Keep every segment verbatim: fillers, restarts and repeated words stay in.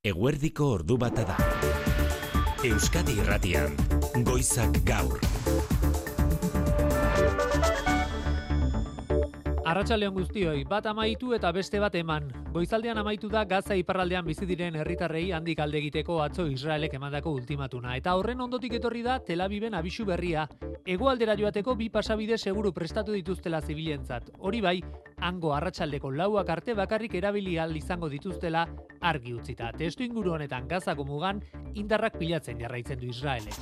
Eguerdiko ordu bata da. Euskadi Irratian, Goizak Gaur. Arratsaldeon guztioi, bat amaitu eta beste bat eman. Goizaldean amaitu da Gaza iparraldean bizi diren herritarrei handik alde egiteko atzo Israelek emandako ultimatuna. Eta horren ondotik etorri da Tel Aviven abisu berria. Hegoaldera joateko bi pasabide seguru prestatu dituztela zibilentzat. Hori bai, hango arratsaldeko lauak arte bakarrik erabili ahal izango dituztela argi utzita. Testu inguru honetan Gazako mugan indarrak pilatzen jarraitzen du Israelek.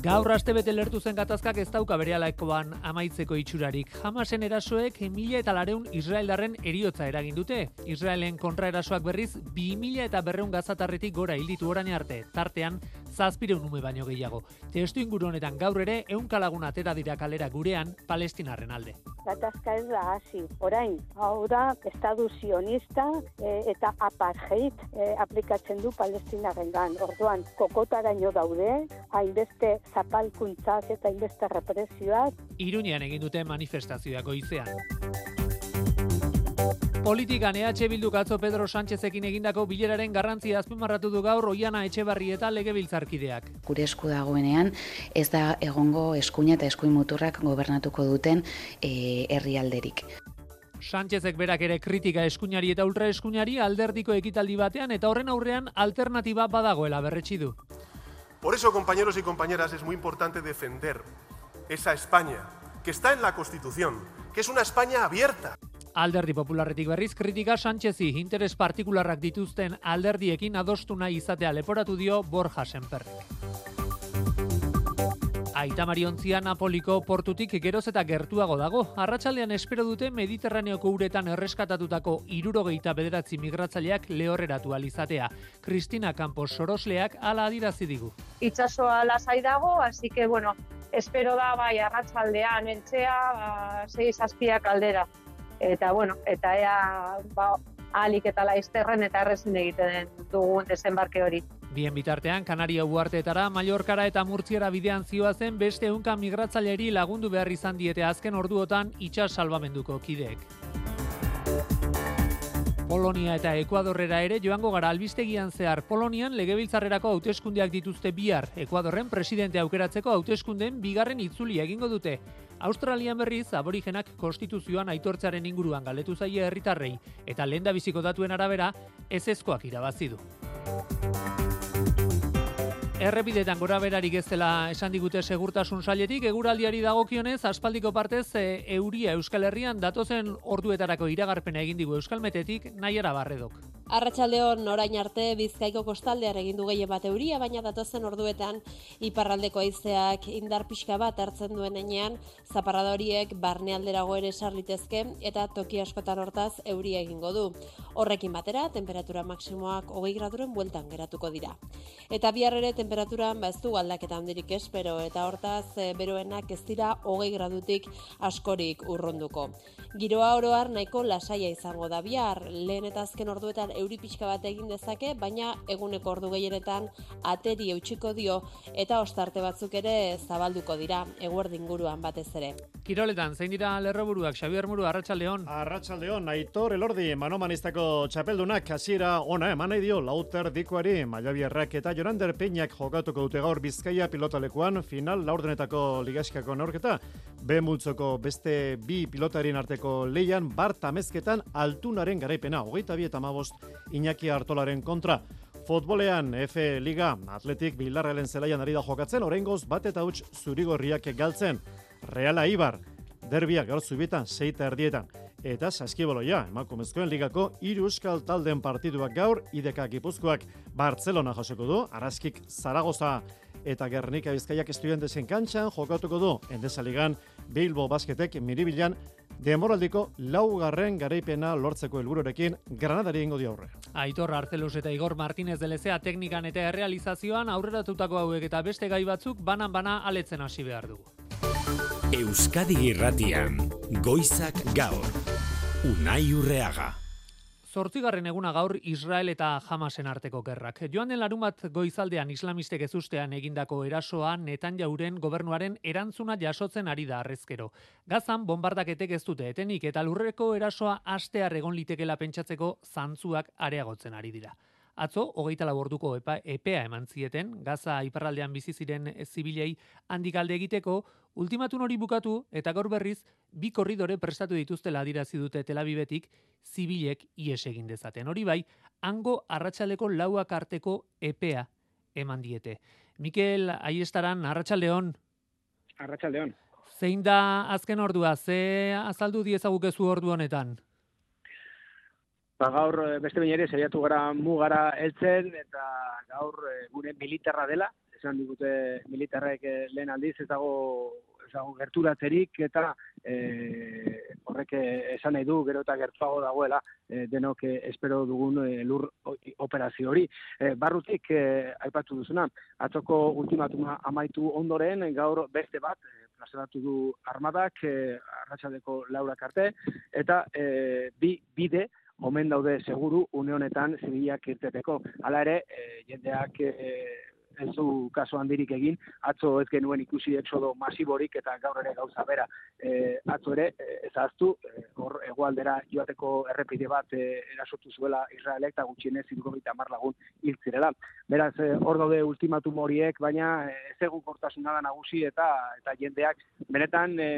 Gaur astebete lertu zen gatazkak ez dauka berehalakoan amaitzeko itxurarik. Hamasen erasoek mila eta lareun Israeldarren eriotza eragin dute. Israelen kontraerasoak berriz bi mila eta berreun gazatarretik gora hilditu orain arte, tartean zazpireun ume baino gehiago. Testu inguru honetan gaur ere ehunka lagun atera dira kalera gurean Palestinarren alde. Gatazka ez da hasi. Orain, hau da estadu sionista e, eta apartheid e, aplikatzen du Palestinarrengan. Orduan, kokotaraino daude, hainbeste zapalkuntzak eta hainbeste represioak. Iruñean egin dute manifestazioak goizean. Politikan E H Bilduk atzo Pedro Sánchezekin egindako bileraren garrantzia azpimarratu du gaur Oihana Etxebarrieta legebiltzarkideak. Gure esku dagoenean ez da egongo eskuina eta eskuin muturrak gobernatuko duten e, herrialderik. Sánchezek berak ere kritika eskuinari eta ultraeskuinari alderdiko ekitaldi batean eta horren aurrean alternatiba badagoela berretsi du. Por eso, compañeros y compañeras, es muy importante defender esa España que está en la Constitución, que es una España abierta. Alderdi Popularretik berriz kritika Sánchezi interes partikularrak dituzten alderdiekin adostu nahi izatea leporatu dio Borja Sémperrek. Aita Mariontzia Napoliko portutik geroz eta gertuago dago. Arratsaldean espero dute Mediterraneoko uretan erreskatatutako hirurogeita bederatzi migratzaileak lehorreratu ahal izatea. Cristina Campos Sorosleak hala adierazi digu. Itsasoa lasai dago, así que bueno, espero da bai arratsaldean heltzea, ba, sei zazpiak aldera. Eta bueno, eta ea ba, ahalik eta laizterren eta errezin egiten dugun desembarke hori. Bien bitartean, Kanaria uharteetara, Mallorcara eta Murtziara bidean zioazen beste ehunka migratzaileri lagundu behar izan diete azken orduotan itsas salbamenduko kideek. Polonia eta Ekuadorrera ere joango gara albistegian zehar. Polonian legebiltzarrerako hauteskundeak dituzte bihar. Ekuadorren presidente aukeratzeko hauteskundeen bigarren itzulia egingo dute. Australian berriz, aborigenak konstituzioan aitortzearen inguruan galdetu zaie herritarrei eta lehendabiziko datuen arabera ezezkoak irabazi du. Errepidetan gora berarik ez dela esan digute segurtasun sailetik, eguraldiari dagokionez aspaldiko partez e, euria Euskal Herrian datozen orduetarako iragarpena egin digu Euskalmetetik Naiara Barredok. Arratsaldeon orain arte Bizkaiko kostaldean egin du gehien bat euria, baina datozen orduetan iparraldeko haizeak indar pixka bat hartzen duen heinean, zaparrada horiek barnealderago ere sar litezke eta toki askotan hortaz euria egingo du. Horrekin batera, temperatura maksimoak hogei graduren bueltan geratuko dira. Eta bihar ere temperaturan ba ez du aldaketa handirik espero eta hortaz e, beroenak ez dira hogei gradutik askorik urrunduko. Giroa oro har nahiko lasaia izango da bihar, lehen eta azken orduetan euri pixka bat egin dezake, baina eguneko ordu gehienetan ateri eutsiko dio eta ostarte batzuk ere zabalduko dira, eguerdi inguruan batez ere. Kiroletan, zein dira lerroburuak, Xabier Muru, arratsaldeon. Arratsaldeon, Aitor Elordi, manomanistako txapeldunak hasiera ona eman nahi dio Lauter Dikoari, Maiabiarrak eta Jorander Peñak jokatuko dute gaur Bizkaia pilotalekuan final laurdenetako ligaskako neurketa. B multzoko beste bi pilotarien arteko leian Bart Amezketan Altunaren garaipena, hogeita bi eta hamabost Iñaki Artolaren kontra. Futbolean F Liga Atletik Bildarratz zelaian ari da jokatzen, oraingoz bat eta huts zurigorriak galtzen. Reala Ibar derbia gaur zubietan sei eta erdietan. Eta Saskibaloia, emakumezkoen ligako hiru euskal talden partiduak gaur, I D K Gipuzkoak Bartzelona jasoko du, Araskik Zaragoza eta Gernika Bizkaiak Estudiantesen kantxan jokatuko du. Endesa Ligan Bilbo Basketek Miribilan demoraldiko laugarren garaipena lortzeko helbururekin Granadari egingo dio aurre. Aitor Arcelus eta Igor Martínez de Lezea teknikan eta errealizazioan aurreratutako hauek eta beste gai batzuk banan-bana aletzen hasi behar dugu. Euskadi Irratian, Goizak Gaur. Unai Urreaga. Zortzigarren eguna gaur Israel eta Hamasen arteko gerrak. Joan den larunbat goizaldean islamistek ezustean egindako erasoa Netanyahuren gobernuaren erantzuna jasotzen ari da harrezkero. Gazan bonbardaketek ez dute etenik eta lurreko erasoa hastear egon litekela pentsatzeko zantzuak areagotzen ari dira. Atzo, hogeita lau orduko epa, epea eman zieten, Gaza iparraldean bizi ziren zibilei handik alde egiteko, ultimatun hori bukatu eta gaur berriz bi korridore prestatu dituztela adierazi dute Tel Avivetik zibilek ihes egin dezaten. Hori bai, hango arratsaldeko lauak arteko epea eman diete. Mikel Aiestaran, arratsaldeon. Arratsaldeon. Zein da azken ordua? Ze azaldu diezagukezu ordu honetan? Ba, gaur beste behin ere saiatu gara mugara heltzen eta gaur gure militarra dela, esan digute militarrek lehen aldiz ez dago, ez dago gerturatzerik eta e, horrek esan nahi du gero eta gertuago dagoela e, denok e, espero dugun e, lur operazio hori. E, barrutik e, aipatu duzuna, atzoko ultimatuma amaitu ondoren gaur beste bat e, plazaratu du armadak e, arratsaldeko laurak arte eta e, bi bide omen daude seguru une honetan zibilak irteteko. Hala ere, e, jendeak e, ez du kaso handirik egin, atzo ez genuen ikusi exodo masiborik eta gaur ere gauza bera. E, atzo ere, ez ahaztu, hor e, hegoaldera joateko errepide bat e, erasotu zuela Israelek eta gutxienez hirurogeita hamar lagun hil zirela. Beraz, hor e, daude ultimatum horiek, baina ez egonkortasuna da nagusi eta eta jendeak benetan e,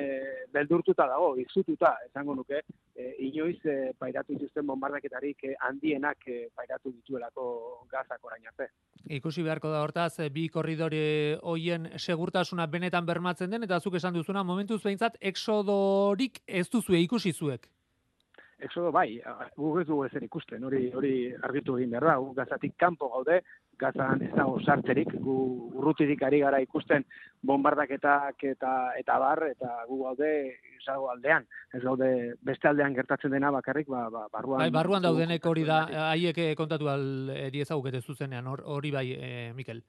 beldurtuta dago, izututa, esango nuke, e, inoiz e, pairatu dituzten bombardaketarik e, handienak e, pairatu dituelako Gazak orain arte. Ikusi beharko da hortaz, bi korridore hoien segurtasuna benetan bermatzen den, eta zuk esan duzuna, momentuz behintzat, exodorik ez duzue ikusi zuek. Exodo bai, guk ez dugu ezer ikusten, hori hori argitu egin behar da, gu Gazatik kanpo gaude, Gazan ez dago sartzerik, gu urrutirik ari gara ikusten bombardaketak eta eta bar, eta gu gaude izago aldean, ez gaude beste aldean gertatzen dena bakarrik, ba, ba, barruan... Bai, barruan daudenek hori da, haiek kontatu aldi ezagukete zuzenean, hori bai, e, Mikel.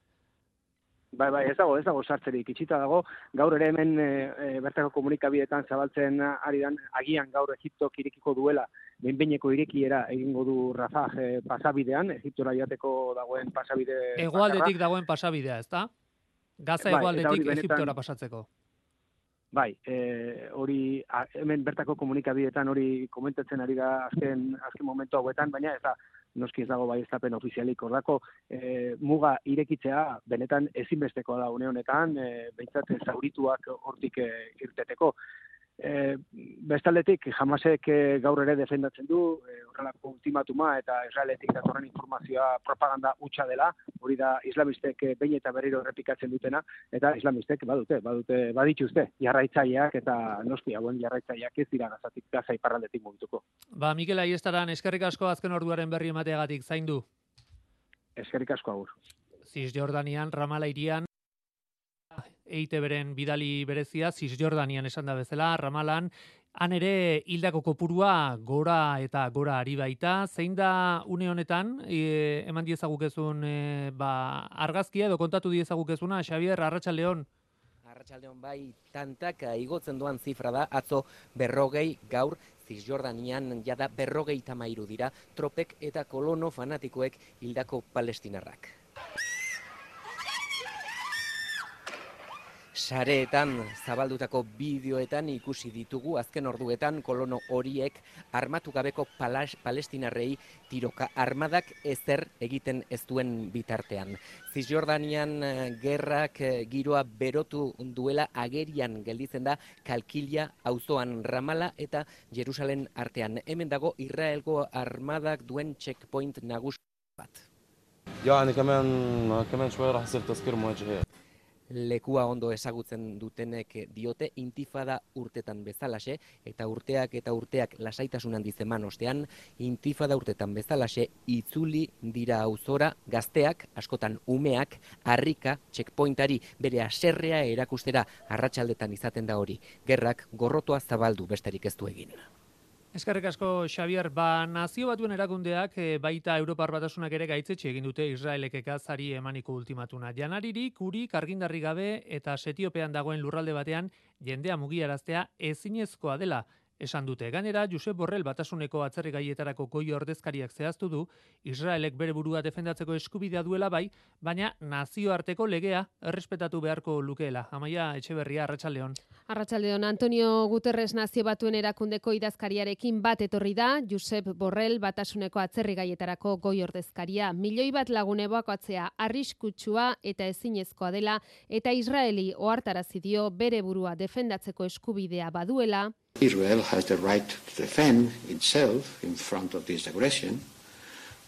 Bai, bai, ez dago, ez dago sartzerik itxita dago, gaur ere hemen e, e, bertako komunikabideetan zabaltzen ari dan, agian gaur Egiptok irekiko duela, behin-behineko irekiera egingo du Rafah e, pasabidean, Egiptora joateko dagoen pasabide... Hegoaldetik dagoen pasabidea, ezta? Gaza bai, hegoaldetik benetan... Egiptora pasatzeko. Bai, e, hori a, hemen bertako komunikabideetan hori komentatzen ari da azken, azken momentu hauetan, baina ez da, noski ez dago baieztapen ofizialik ordako e, muga irekitzea benetan ezinbestekoa da une honetan, e, behintzat zaurituak hortik e, irteteko. E, bestaldetik, Hamasek e, gaur ere defendatzen du, e, horrelako ultimatuma eta Israeletik datorren informazioa propaganda hutsa dela, hori da islamistek e, behin eta berriro errepikatzen dutena, eta islamistek badute, badute, badituzte, jarraitzaileak eta noski hauen jarraitzaileak ez dira Gazatik, Gaza iparraldetik mugituko. Ba, Mikel Aiestaran, eskerrik asko azken orduaren berri emateagatik, zaindu. Eskerrik asko agur. Cisjordanian, Ramala hirian, E I T B-ren bidali berezia, Cisjordanian esan da bezala, Ramalan, han ere hildako kopurua gora eta gora ari baita. Zein da une honetan, e, eman diezagukezun e, ba, argazkia edo kontatu diezagukezuna, Xabier, arratsaldeon. Arratsaldeon bai, tantaka igotzen doan zifra da, atzo berrogei gaur, Cisjordanian jada berrogei tamairu dira, tropek eta kolono fanatikoek hildako palestinarrak. Sareetan zabaldutako bideoetan ikusi ditugu azken orduetan kolono horiek armatu gabeko palas, palestinarrei tiroka armadak ezer egiten ez duen bitartean. Cisjordanian gerrak giroa berotu duela agerian gelditzen da Kalkilia auzoan Ramala eta Jerusalem artean. Hemen dago Israelgo armadak duen checkpoint nagusi bat. يعني كمان كمان شوية راح يصير تسكير مواجهات. Lekua ondo ezagutzen dutenek diote intifada urtetan bezalaxe, eta urteak eta urteak lasaitasun handiz eman ostean, intifada urtetan bezalaxe itzuli dira auzora gazteak, askotan umeak, harrika, checkpointari bere haserrea erakustera arratsaldetan izaten da hori. Gerrak gorrotoa zabaldu besterik ez du egin. Eskerrik asko, Xabier. Ba, Nazio Batuen erakundeak e, baita Europar Batasunak ere gaitzetxe egin dute Israelek Gazari emaniko ultimatuna. Janaririk, urik, argindarri gabe eta Setiopean dagoen lurralde batean jendea mugiaraztea ezinezkoa dela esan dute. Gainera, Josep Borrell Batasuneko atzerrigaietarako goi ordezkariak zehaztu du, Israelek bere burua defendatzeko eskubidea duela bai, baina nazioarteko legea errespetatu beharko lukeela. Amaia Etxeberria, Arratsaldeon. Arratsaldeon, Antonio Guterres Nazio Batuen erakundeko idazkariarekin bat etorri da, Josep Borrell Batasuneko atzerrigaietarako goi ordezkaria. Milioi bat lagun ebakuatzea arriskutsua eta ezinezkoa dela, eta Israeli ohartarazi dio bere burua defendatzeko eskubidea baduela. Israel has the right to defend itself in front of this aggression,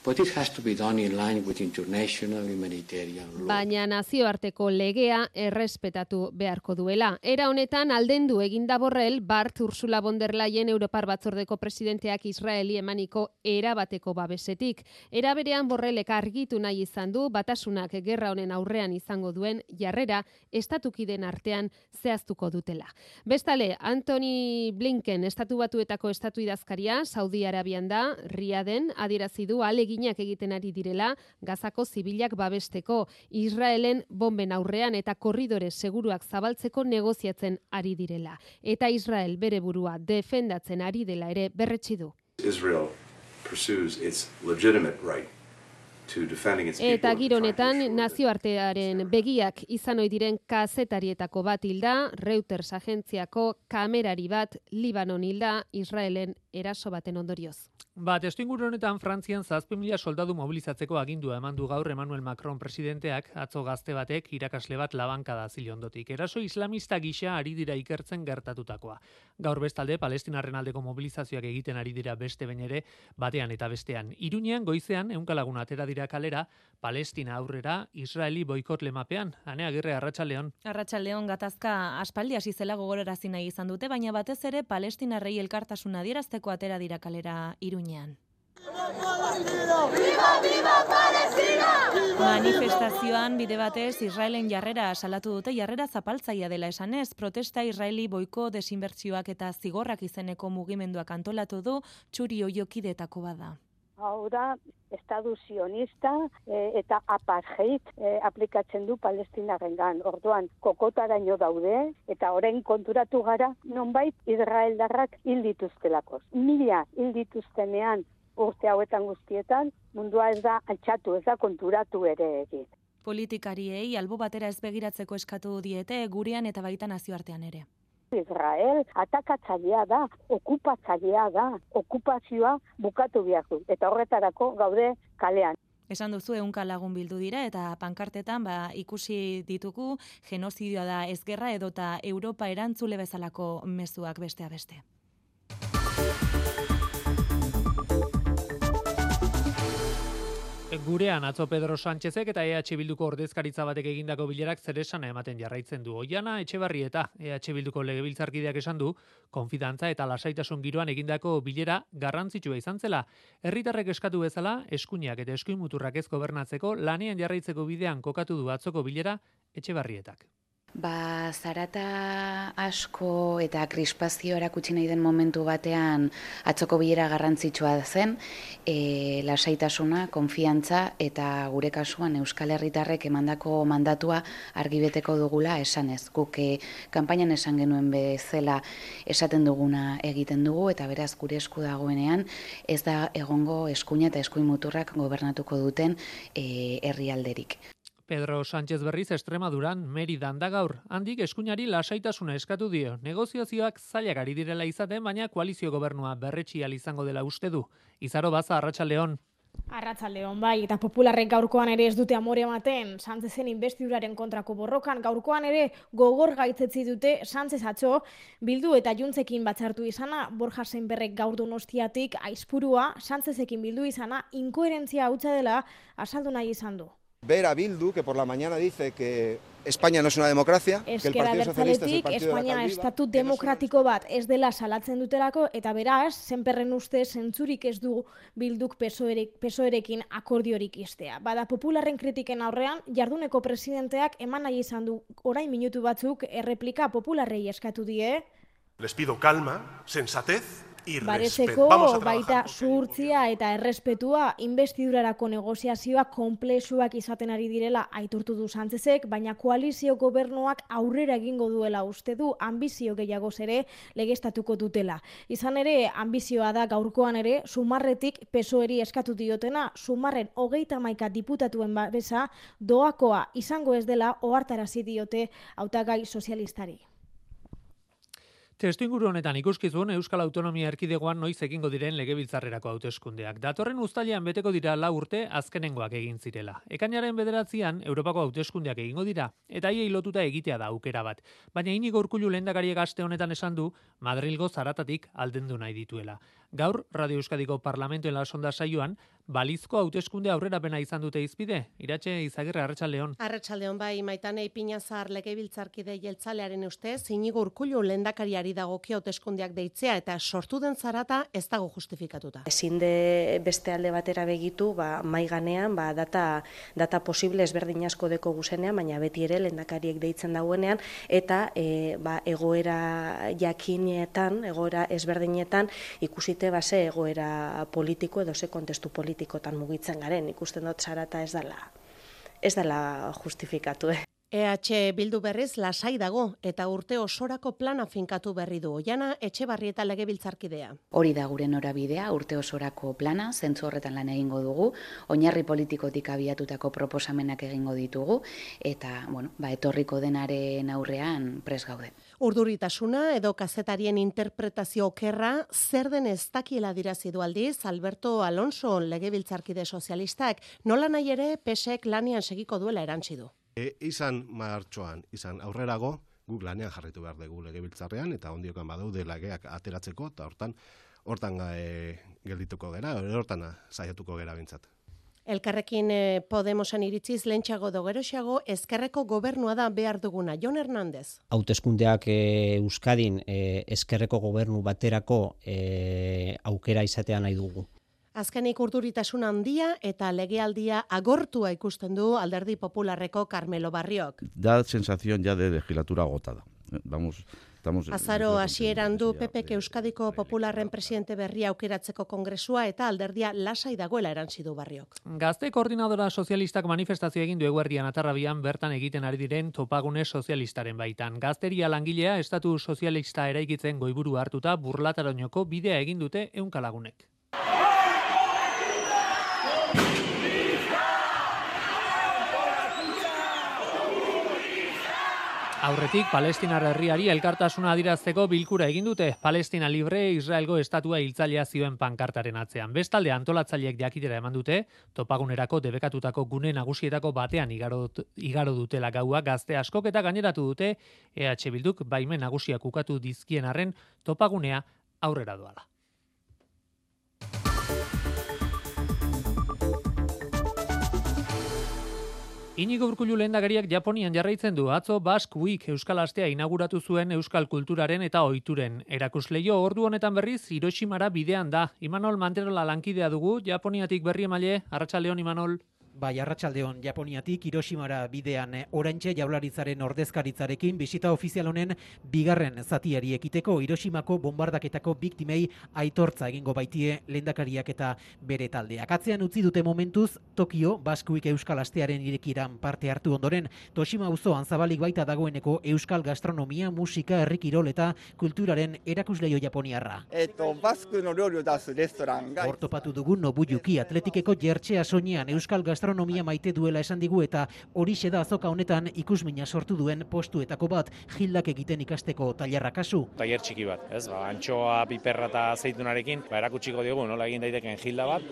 but it has to be done in line with international humanitarian law. Baina nazioarteko legea errespetatu beharko duela. Era honetan aldendu eginda Borrell Bart Ursula von der Leyen Europar Batzordeko presidenteak Israeli emaniko erabateko babesetik. Era berean Borrellek argitu nahi izan du Batasunak gerra honen aurrean izango duen jarrera estatukideen artean zehaztuko dutela. Bestale, Antony Blinken Estatu Batuetako estatu idazkaria Saudi Arabian da, Riaden adierazi du alegin egiten ari direla, Gazako zibilak babesteko, Israelen bomben aurrean eta korridore seguruak zabaltzeko negoziatzen ari direla. Eta Israel bere burua defendatzen ari dela ere berretsi du. Israel pursues its legitimate right to defending its people. Eta giro honetan nazioartearen begiak izan ohi diren kazetarietako bat hilda, Reuters agentziako kamerari bat Libanon hilda, Israelen eraso baten ondorioz. Ba, testuinguru honetan Frantzian zazpi mila soldadu mobilizatzeko agindua eman du gaur Emmanuel Macron presidenteak, atzo gazte batek irakasle bat labankada zile ondotik. Eraso islamista gisa ari dira ikertzen gertatutakoa. Gaur bestalde, Palestinarren aldeko mobilizazioak egiten ari dira beste behin ere, batean eta bestean. Iruñean goizean ehunka lagun atera dira kalera, Palestina aurrera, Israeli boikot lemapean. Ane Agirre, Arratsaldeon. Arratsaldeon, gatazka aspaldi hasi zela gogorarazi nahi izan dute, baina batez ere Palestinarrei elkartasuna adierazteko atera dira kalera Iruñean. Manifestazioan bide batez Israelen jarrera salatu dute, jarrera zapaltzaia dela esanez, protesta Israeli boiko desinbertsioak eta zigorrak izeneko mugimenduak antolatu du, Txuri Oiokideetako bada. Hau da, estadu sionista e, eta apartheid e, aplikatzen du Palestinarrengan. Orduan, kokotaraino daude eta orain konturatu gara nonbait Israeldarrak hil dituztelako. Mila hil dituztenean urte hauetan guztietan, mundua ez da altxatu, ez da konturatu ere egin. Politikariei albo batera ez begiratzeko eskatu diete gurean eta baita nazioartean ere. Israel atakatzailea da, okupatzailea da, okupazioa bukatu behar du, eta horretarako gaude kalean. Esan duzu ehunka lagun bildu dira eta pankartetan ba, ikusi ditugu genozidioa da ez gerra edota Europa erantzule bezalako mezuak besteak beste. Gurean atzo Pedro Sánchezek eta E H Bilduko ordezkaritza batek egindako bilerak zeresana ematen jarraitzen du. Oiana Etxebarrieta E H Bilduko legebiltzarkideak esan du, konfidantza eta lasaitasun giroan egindako bilera garrantzitsua izan zela. Herritarrek eskatu bezala, eskuinak eta eskuin muturrak ez gobernatzeko lanean jarraitzeko bidean kokatu du atzoko bilera Etxebarrietak. Ba, zarata asko eta krispazio erakutsi nahi den momentu batean atzoko bilera garrantzitsua zen, e, lasaitasuna, konfiantza eta gure kasuan Euskal Herritarrek emandako mandatua argibeteko dugula esanez. Guk e, kanpainan esan genuen bezala esaten duguna egiten dugu eta beraz gure esku dagoenean ez da egongo eskuina eta eskuin muturrak gobernatuko duten e, herrialderik. Pedro Sánchez berriz Extremaduran Meridan da gaur. Handik eskuinari lasaitasuna eskatu dio. Negoziazioak zailak ari direla izaten, baina koalizio gobernua berretsi ahal izango dela uste du. Izaro Baza, Arratsaldeon. Arratsaldeon bai, eta popularrek gaurkoan ere ez dute amore ematen, Sánchezen inbestiduraren kontrako borrokan, gaurkoan ere gogor gaitzetzi dute Sánchez atzo, Bildu eta Juntzekin batzartu izana, Borja Sémperrek gaur Donostiatik aizpurua, Sánchezekin bildu izana, inkoherentzia hutsa dela azaldu nahi izan du. Ver a Bildu, que por la mañana dice que España no es una democracia, que el Partido Socialista es el partido de la Espainia estatu demokratiko bat ez dela salatzen dutelako, eta beraz, Sémperren uste zentzurik ez du Bilduk pesoerekin akordiorik iztea. Bada popularren kritiken aurrean, jarduneko presidenteak eman nahi izan du orain minutu batzuk erreplika popularrei eskatu die. Les pido calma, sensatez baretzeko baita zuhurtzia eta errespetua investidurarako negoziazioa konplexuak izaten ari direla aitortu du Sánchezek, baina koalizio gobernuak aurrera egingo duela uste du, ambizio gehiagoz ere legeztatuko dutela. Izan ere, ambizioa da gaurkoan ere, Sumarretik P S O E-ri eskatu diotena, Sumarren hogeita hamaika diputatuen babesa doakoa izango ez dela ohartarazi diote hautagai sozialistari. Testuinguru honetan ikuskizun Euskal Autonomia Erkidegoan noiz egingo diren legebiltzarrerako hauteskundeak. Datorren uztailean beteko dira lau urte azkenengoak egin zirela. Ekainaren bederatzian Europako hauteskundeak egingo dira, eta haiei lotuta egitea da aukera bat. Baina Inigo Urkullu lehendakariak aste honetan esan du Madrilgo zaratatik aldendu nahi dituela. Gaur, Radio Euskadiko Parlamentuen la sonda saioan, balizko hauteskunde aurrerapena izan dute izpide. Iratxe Izagirre, Arratsaldeon. Arratsaldeon bai, Maitane Ipinazar legebiltzarkide jeltzalearen ustez, Inigo Urkullu lehendakariari dagokio hauteskundeak deitzea eta sortu den zarata ez dago justifikatuta. Ezin de beste alde batera begitu, ba mai ganean, ba data data posible ezberdin asko deko guzenean, baina beti ere lehendakariek deitzen dauenean eta e, ba, egoera jakinetan, egoera ezberdinetan ikusite base egoera politiko edo ze kontestu politikotan mugitzen garen. Ikusten dut zarata ez dela ez dela justifikatu. Eh? E H Bildu berriz lasai dago eta urte osorako plana finkatu berri du. Oiana Etxebarrieta legebiltzarkidea. Hori da gure norabidea, urte osorako plana, zentzu horretan lan egingo dugu, oinarri politikotik abiatutako proposamenak egingo ditugu eta, bueno, ba etorriko denaren aurrean pres gaude. Urduritasuna edo kazetarien interpretazio okerra zer den ez dakiela dirazi du aldiz Alberto Alonso legebiltzarkide sozialistak, nola nahi ere P S ek lanian segiko duela erantsi du. E, izan martxoan, izan aurrerago, guk lanean jarritu behar dugu legebiltzarrean, eta ondiokan badaude lageak ateratzeko, eta hortan, hortan e, geldituko gera, hortan saiatuko gera bintzat. Elkarrekin Podemosen iritziz lentsago do geroxago ezkerreko gobernua da behar duguna. Jon Hernández. Hauteskundeak e, Euskadin e, ezkerreko gobernu baterako e, aukera izatea nahi dugu. Azkenik urduritasun handia eta legealdia agortua ikusten du Alderdi Popularreko Carmelo Barriok. Da sensación ya de legislatura agotada. Vamos, estamos Azaro hasieran du P Pek Euskadiko Popularren presidente berria aukeratzeko kongresua eta alderdia lasai dagoela erantsi du Barriok. Gazte koordinadora sozialistak manifestazio egin du eguerdian Atarrabian bertan egiten ari diren topagune sozialistaren baitan. Gazteria langilea estatu sozialista eraikitzen goiburu hartuta Burlatarainoko bidea egin dute ehunka lagunek. Aurretik, Palestinar herriari elkartasuna adirazteko bilkura egin dute. Palestina libre Israelgo estatua hiltzailea zioen pankartaren atzean. Bestalde antolatzaileek jakitera eman dute, topagunerako debekatutako gune nagusietako batean igaro, igaro dutela gaua gazte askok eta gaineratu dute E H Bilduk baimen nagusiak ukatu dizkien arren topagunea aurrera doala. Inigo Urkullu lehendakariak Japonian jarraitzen du. Atzo Basque Week Euskal Astea inauguratu zuen euskal kulturaren eta ohituren erakusleio. Ordu honetan berriz Hiroshimara bidean da. Imanol Manterola lankidea dugu, Japoniatik berri emaile. Arratsaldeon Imanol. Bai, arratsaldeon Japoniatik Hiroshimara bidean oraintxe Jaurlaritzaren ordezkaritzarekin bisita ofizial honen bigarren zatiari ekiteko Hiroshimako bombardaketako biktimei aitortza egingo baitie lehendakariak eta bere taldeak. Atzean utzi dute momentuz Tokio Basque Week Euskal Astearen irekiran parte hartu ondoren Toshima auzoan zabalik baita dagoeneko euskal gastronomia, musika, herri kirol eta kulturaren erakusleio japoniarra. Eto Basque no ryouri o dasu restaurant ga Hortopatu dugun Nobuyuki Atletikeko jertxea soinean euskal gastronomia gastronomia maite duela esan digu eta horixe da azoka honetan ikusmina sortu duen postuetako bat Gildak egiten ikasteko tailerra kasu. Tailer txiki bat, ez? Ba, antxoa, piperra eta zeitunarekin, ba, erakutsiko diogu nola egin daiteken Gilda bat.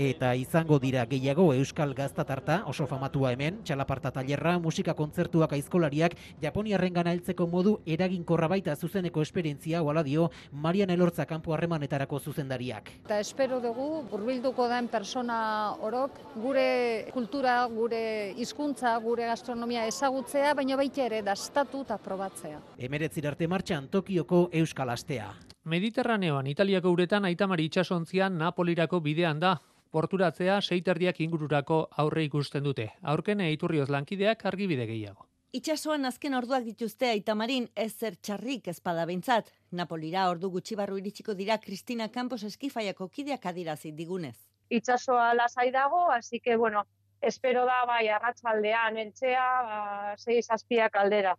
Eta izango dira gehiago euskal gaztatarta, oso famatua hemen, txalaparta tailerra, musika kontzertuak aizkolariak, Japoniarrengana heltzeko modu eraginkorra baita zuzeneko esperientzia oala dio Marian Elortza kanpo harremanetarako zuzendariak. Eta espero dugu hurbilduko den persona orok gure kultura, gure hizkuntza, gure gastronomia ezagutzea, baina baita ere dastatu eta probatzea. Emeretzir arte martxan Tokioko Euskal Astea. Mediterraneoan Italiako uretan Aitamari itsasontzian Napolirako bidean da. Porturatzea seiterdiak ingururako aurre ikusten dute. Aurkene Iturrioz lankideak argibide gehiago. Itxasoan azken orduak dituzte Aitamarin ezer txarrik ezpada behintzat. Napolira ordu gutxi barru iritsiko dira Cristina Campos eskifaiako kideak adirazi digunez. Itxasoa lasai dago, así que, bueno, espero da bai arratsaldean eltzea, ba, sei zazpiak aldera.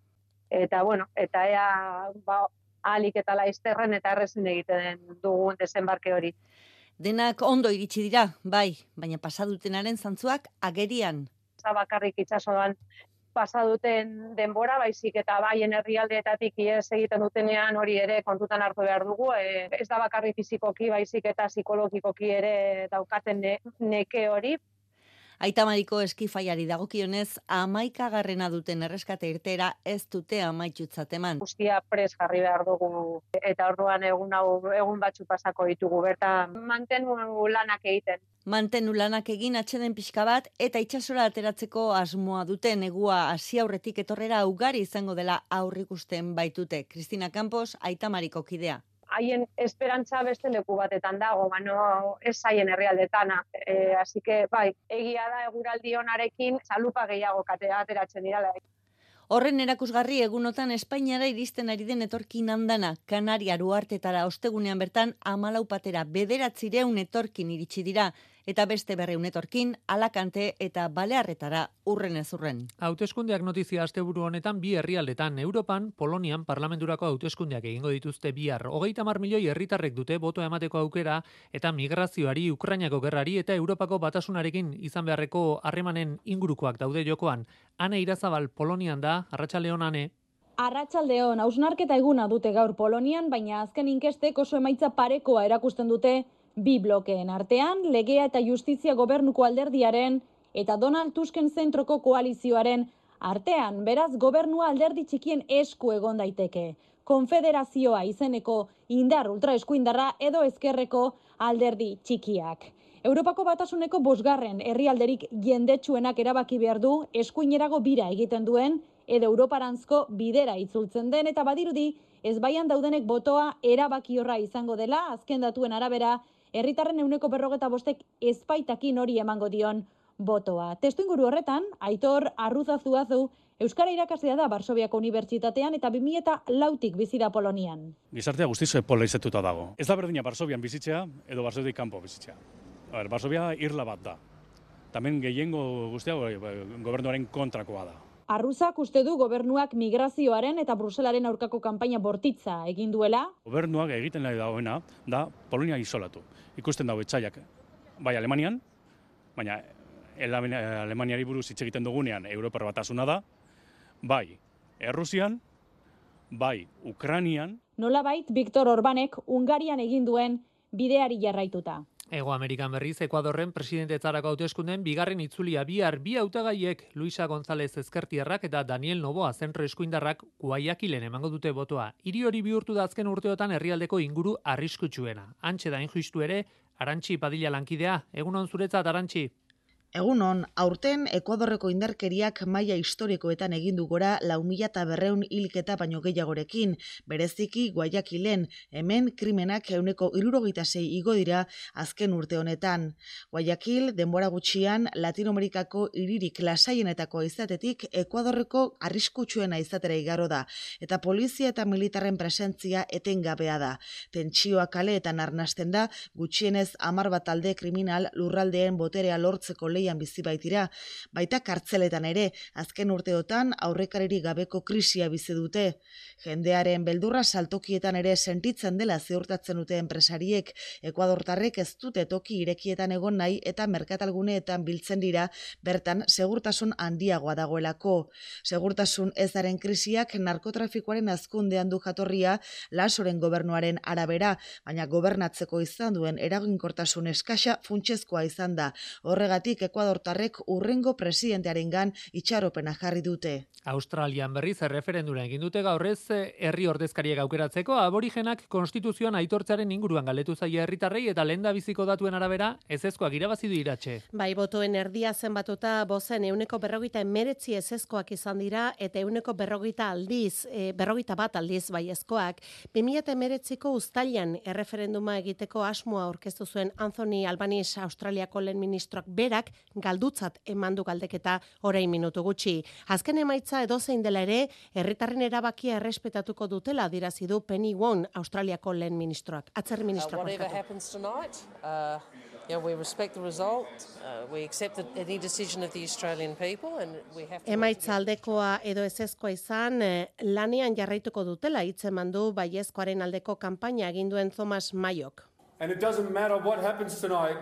Eta, bueno, eta ea ba, ahalik eta laizterren eta errezen egiten dugun desembarke hori. Denak ondo iritsi dira, bai, baina pasadutenaren zantzuak agerian. Bakarrik itxasoan pasaduten denbora, baizik eta baien herrialdeetatik ihes egiten dutenean hori ere kontutan hartu behar dugu. E, ez da bakarrik fizikoki, baizik eta psikologikoki ere daukaten ne, neke hori. Aitamariko eskifaiari dagokionez, hamaikagarrena duten erreskate irtera ez dute amaitutzat eman. Guztia pres jarri behar dugu eta orduan egun hau egun batzu pasako ditugu bertan mantenu lanak egiten. Mantenu lanak egin atxeden pixka bat eta itsasora ateratzeko asmoa dute negua hasi aurretik etorrera ugari izango dela aurrikusten baitute. Cristina Campos, Aitamariko kidea. Haien esperantza beste leku batetan dago, baino ez haien herrialdetana. E, así que, bai, egia da eguraldi onarekin zalupa gehiago ateratzen dira. Horren erakusgarri egunotan Espainiara iristen ari den etorkin handana, Kanaria Uhartetara ostegunean bertan hamalau patera bederatzireun etorkin iritsi dira, eta beste berreun etorkin Alakante eta Balearretara urren ez urren. Hauteskundeak notizia asteburu honetan bi herrialdetan, Europan, Polonian parlamenturako hauteskundeak egingo dituzte bihar. Hogeita hamar milioi herritarrek dute botoa emateko aukera eta migrazioari, Ukrainako gerrari eta Europako batasunarekin izan beharreko harremanen ingurukoak daude jokoan. Ane Irazabal Polonian da, Arratsaldeon Ane. Arratsaldeon, hausnarketa eguna dute gaur Polonian, baina azken inkestek oso emaitza parekoa erakusten dute bi blokeen artean, legea eta justizia gobernuko alderdiaren eta Donald Tusken zentroko koalizioaren artean, beraz gobernua alderdi txikien esku egon daiteke. Konfederazioa izeneko indar ultraeskuindarra edo ezkerreko alderdi txikiak. Europako batasuneko bosgarren herrialderik jendetsuenak erabaki behar du eskuinerago bira egiten duen edo Europarantzko bidera itzultzen den eta badirudi ezbaian daudenek botoa erabakiorra izango dela, azken datuen arabera, herritarren ehuneko berrogeta bostek ezpaitakin hori emango dion botoa. Testuinguru horretan, Aitor Arruzazuazu euskara irakaslea da Varsoviako Unibertsitatean eta bi mila lautik bizi da Polonian. Gizartea guztiz polarizetuta dago. Ez da berdina Varsovian bizitzea edo Varsoviatik kanpo bizitzea. A ber, Varsovia irla bat da. Tamen gehiengo guztia gobernuaren kontrakoa da. Arruzak uste du gobernuak migrazioaren eta Bruselaren aurkako kanpaina bortitza egin duela. Gobernuak egiten nahi dagoena da Polonia isolatu. Ikusten dago etxaiak bai Alemanian, baina Alemaniari buruz hitz egiten dugunean Europar batasuna da, bai Errusian, bai Ukrainian. Nolabait Viktor Orbanek Hungarian egin duen bideari jarraituta. Ego Amerikan berriz, Ekuadorren presidentetzarako hauteskunden bigarren itzulia bihar bi hautagaiek Luisa González Ezkertiarrak eta Daniel Noboa zentro eskuindarrak Guayaquilen emango dute botoa. Hiri hori bihurtu da azken urteotan herrialdeko inguru arriskutsuena. Antxe da injustu ere, Arantxi Padilla lankidea. Egunon zuretzat, Arantxi. Egunon, aurten Ekuadorreko indarkeriak maila historikoetan egin du gora lau mila berrehun hilketa baino gehiagorekin, bereziki Guayaquilen, hemen krimenak ehuneko hirurogeita sei igo dira azken urte honetan. Guayaquil denbora gutxian Latinoamerikako hiririk lasaienetako izatetik Ekuadorreko arriskutsuena izatera igaro da, eta polizia eta militarren presentzia etengabea da. Tentsioa kaleetan arnasten da, gutxienez hamar bat talde kriminal lurraldeen boterea lortzeko leian bizi baitira, baita kartzeletan ere, azken urteotan aurrekaririk gabeko krisia bizi dute. Jendearen beldurra saltokietan ere sentitzen dela ziurtatzen dute enpresariek, Ekuadortarrek ez dute toki irekietan egon nahi eta merkatalguneetan biltzen dira, bertan segurtasun handiagoa dagoelako. Segurtasun ezaren krisiak narkotrafikoaren hazkundean du jatorria Lasoren gobernuaren arabera, baina gobernatzeko izan duen eraginkortasun eskasa funtsezkoa izan da. Horregatik Ekuadortarrek urrengo presidentearengan itxaropena jarri dute. Australian berriz erreferendura egin dute gaurrez herri ordezkariak aukeratzeko, aborigenak konstituzioan aitortzaren inguruan galdetu zaie herritarrei eta lehendabiziko datuen arabera ezezkoak irabazi du Iratxe. Bai, botoen erdia zenbatuta bozen ehuneko berrogeita hemeretzi ezezkoak izan dira eta ehuneko berrogeita aldiz, e, berrogeita bat aldiz baiezkoak. bi mila hemeretziko uztailan erreferenduma egiteko asmoa aurkeztu zuen Anthony Albanese Australiako lehen ministroak berak galdutzat emandu galdeketa orain minutu gutxi. Azken emaitza edozein dela ere, herritarren erabakia errespetatuko dutela adierazi du Penny Wong, Australiako lehen ministroak. Atzerri ministroak. Uh, you know, we respect the result. Uh, we accept any decision of the Australian people and we have to... Emaitza aldekoa edo ezezkoa izan, eh, lanean jarraituko dutela hitzeman du baiezkoaren aldeko kanpaina egin duen Thomas Mayok. And it doesn't matter what happens tonight.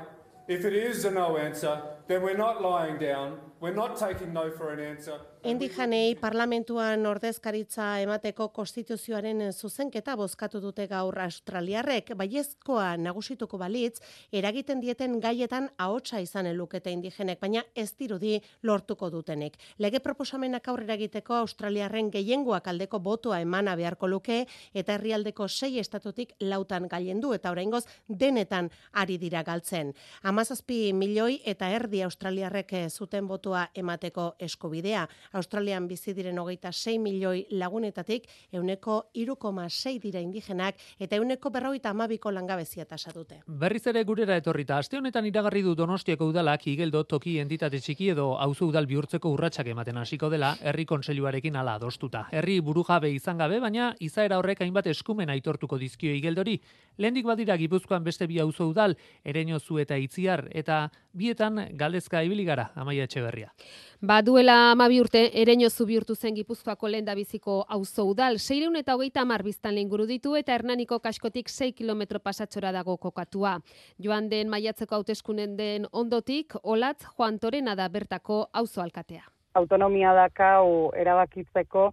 If it is a no answer, then we're not lying down. We're not taking no for an answer. Indijanei parlamentuan ordezkaritza emateko konstituzioaren zuzenketa bozkatu dute gaur australiarrek, baiezkoa nagusituko balitz, eragiten dieten gaietan ahotsa izan lukete indigenek, baina ez dirudi lortuko dutenek. Lege proposamenak aurrera egiteko australiarren gehiengoak aldeko botoa emana beharko luke, eta herrialdeko sei estatutik lautan gailendu, eta oraingoz denetan ari dira galtzen. Hamazazpi milioi eta erdi australiarrek zuten botoa emateko eskubidea. Australian bizi diren hogeita sei milioi lagunetatik euneko hiru koma sei dira indigenak eta euneko berrogeita hamabiko langabezia tasa dute. Berriz ere gurera etorrita, aste honetan iragarri du Donostiako udalak Igeldo toki entitate txiki edo auzo udal bihurtzeko urratsak ematen hasiko dela herri kontseiluarekin hala adostuta. Herri burujabe izan gabe, baina izaera horrek hainbat eskumen aitortuko dizkio Igeldori. Lehendik badira Gipuzkoan beste bi auzo udal, Ereñozu eta Itziar, eta bietan galdezka ibili gara, Amaia Etxeberria. Ba, duela hamabi urte Ereñozu bihurtu zen Gipuzkoako lehendabiziko auzo udal, seiehun eta hogeita hamar biztanle inguru ditu eta Hernaniko kaskotik sei kilometro pasatxora dago kokatua. Joan den maiatzeko hauteskunen den ondotik, Olatz Juan Torena da bertako auzo alkatea. Autonomia dakau erabakitzeko,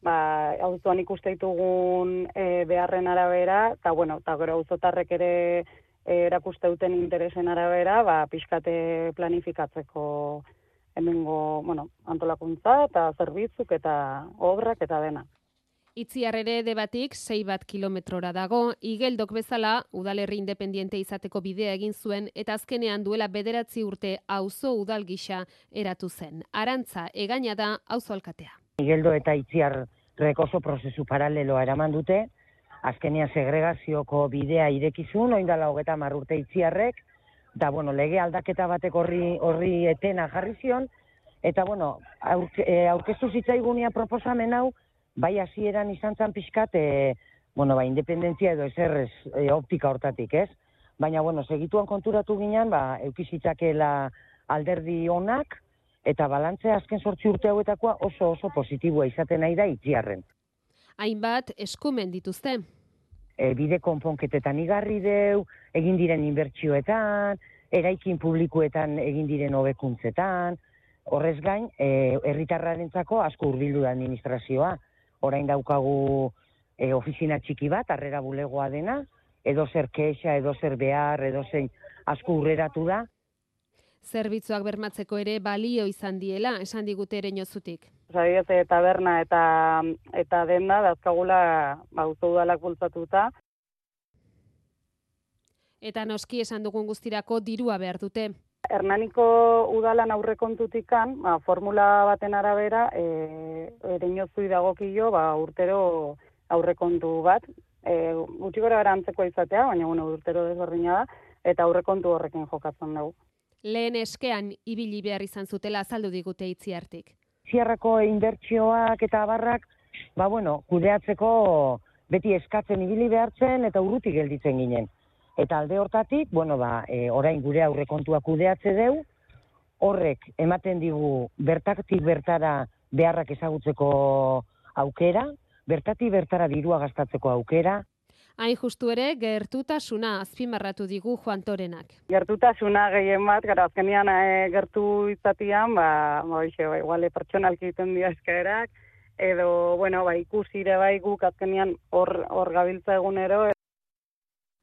ba, auzoan ikuste ditugun e, beharren arabera, eta bueno, eta gero auzotarrek ere e, erakuste duten interesen arabera, ba, pixkate planifikatzeko hemengo, bueno, antolakuntza eta zerbitzuk eta obrak eta dena. Itziar ere debatik sei bat kilometrora dago, Igeldok bezala udalerri independiente izateko bidea egin zuen eta azkenean duela bederatzi urte auzo udal gisa eratu zen. Arantza egaina da auzo alkatea. Igeldo eta Itziarrek oso prozesu paraleloa eraman dute, azkenean segregazioko bidea irekizun, oindala hogeita hamar urte Itziarrek, eta, bueno, lege aldaketa batek horri, horri etena jarri zion, eta, bueno, aurke, aurkeztu zitzaigunia proposamen hau, bai hasieran izan zan pixkat, e, bueno, ba, independentzia edo eserrez e, optika hortatik, ez? Baina, bueno, segituan konturatu ginen, ba, eukizitzakela alderdi onak, eta balantzea azken sortzi urte hauetakoa oso oso positiboa izaten nahi da Itziarren. Hainbat eskumen dituzte. E, bide konponketetan igarri deu, egin diren inbertsioetan, eraikin publikoetan egin diren hobekuntzetan, horrez gain, e, herritarrarentzako asko hurbildu da administrazioa. Orain daukagu e, ofizina txiki bat, harrera bulegoa dena, edo zer kexa, edo zer behar, edo zein asko hurreratu da. Zerbitzuak bermatzeko ere balio izan diela, esan digute Ereñozutik. Zabiete taberna eta eta denda dazkagula auzo udalak bultzatuta. Eta noski esan dugun guztirako dirua behar dute. Hernaniko udalan aurrekontutikan, ba, formula baten arabera, e, Ereñozui dagokio ba, urtero aurrekontu bat, e, gutxi gora gara antzeko izatea, baina bueno, urtero desberdina da, eta aurrekontu horrekin jokatzen dugu. Lehen eskean ibili behar izan zutela azaldu digute Itziartik. Itziarrako inbertsioak eta abarrak, ba bueno, kudeatzeko beti eskatzen ibili behartzen eta urruti gelditzen ginen. Eta alde hortatik, bueno, ba, e, orain gure aurrekontua kudeatze deu, horrek ematen digu bertatik bertara beharrak ezagutzeko aukera, bertatik bertara dirua gastatzeko aukera. Hain justu ere, gertutasuna azpimarratu digu Juan Torenak. Gertutasuna gehien bat, gara azkenian e, gertu izatian, ba, ba, ixe, ba, iguale pertsonalki egiten dira eskaerak, edo, bueno, ba, ikusire bai guk azkenian hor, hor gabiltza egunero.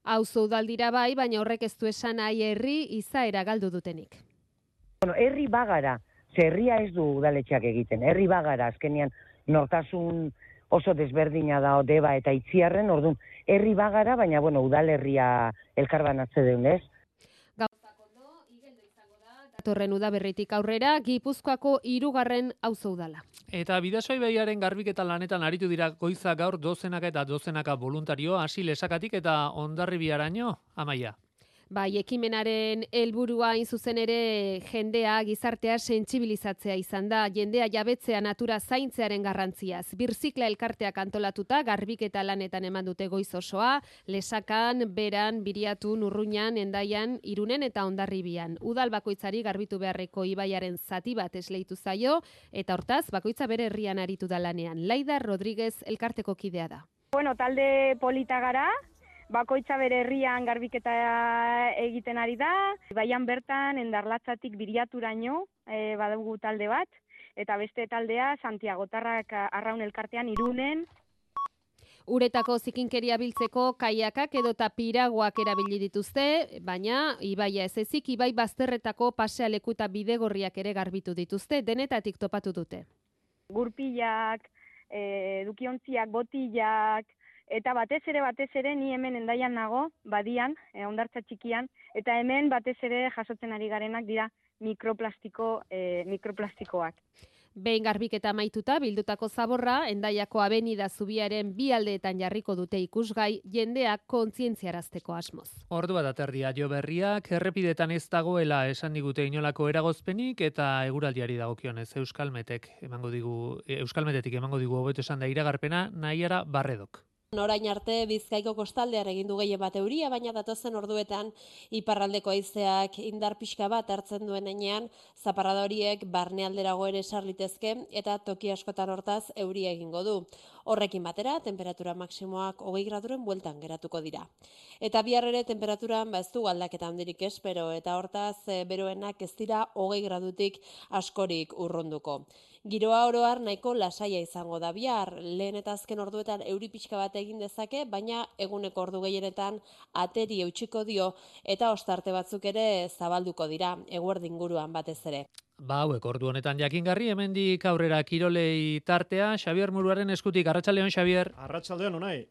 Auzo udaldira bai, baina horrek ez du esan nahi herri izaera galdu dutenik. Bueno, herri bagara, ze herria ez du udaletxeak egiten, herri bagara azkenian nortasun oso desberdina da Deba eta Itziarren, orduan, herri bagara, baina, bueno, udalerria elkarbanatze deun, ez? Gauzak ondo, Igeldo izango da, datorren udaberritik aurrera, Gipuzkoako hirugarren auzo udala. Eta Bidasoa ibaiaren garbiketa lanetan aritu dira goiza gaur dozenaka eta dozenaka voluntario hasi Lesakatik eta Hondarribiaraino, Amaia. Bai, ekimenaren helburua hain zuzen ere jendea, gizartea sentsibilizatzea izan da, jendea jabetzea natura zaintzearen garrantziaz. Birzikla elkarteak antolatuta, garbiketa lanetan eman dute goiz osoa, Lesakan, Beran, Biriatun, Urruñan, Hendaian, Irunen eta Hondarribian. Udal bakoitzari garbitu beharreko ibaiaren zati bat esleitu zaio, eta hortaz, bakoitza bere herrian aritu da lanean. Laida Rodríguez elkarteko kidea da. Bueno, talde polita gara, bakoitza bere herrian garbiketa egiten ari da, baian bertan Endarlatzatik Biriaturaino e, badugu talde bat, eta beste taldea Santiagotarrak Arraun elkartean Irunen. Uretako zikinkeria biltzeko kaiakak edota piraguak erabili dituzte, baina ibaia ez ezik, ibai bazterretako pasealeku eta bidegorriak ere garbitu dituzte, denetatik topatu dute. Gurpilak, e, dukiontziak, botillak, eta batez ere, batez ere, ni hemen Hendaian nago, badian, e, hondartza txikian, eta hemen batez ere jasotzen ari garenak dira mikroplastiko, e, mikroplastikoak. Behin garbiketa amaituta bildutako zaborra, Hendaiako Abenida zubiaren bi aldeetan jarriko dute ikusgai, jendeak kontzientziarazteko asmoz. Ordu bat aterdia jo berriak, errepidetan ez dagoela esan digute inolako eragozpenik eta eguraldiari dagokionez Euskalmetek emango digu, Euskalmetetik emango digu hobeto esan da iragarpena Naiara Barredok. Orain arte Bizkaiko kostaldean egin du gehien bat euria, baina datozen orduetan iparraldeko haizeak indar pixka bat hartzen duen heinean, zaparrada horiek barnealderago ere sar litezke eta toki askotan hortaz euria egingo du. Horrekin batera, temperatura maksimoak hogei graduren bueltan geratuko dira. Eta bihar ere temperaturan ba ez du aldaketa handirik espero, eta hortaz e, beroenak ez dira hogei gradutik askorik urrunduko. Giroa oro har nahiko lasaia izango da bihar, lehen eta azken orduetan euri pixka bat egin dezake, baina eguneko ordu gehienetan ateri eutxiko dio eta ostarte batzuk ere zabalduko dira, eguerdi inguruan batez ere. Ba, hauek ordu honetan jakingarri, hemendik aurrera kirolei tartea, Xabier Muruaren eskutik. Arratsaldeon, Xabier. Arratsaldeon, Unai.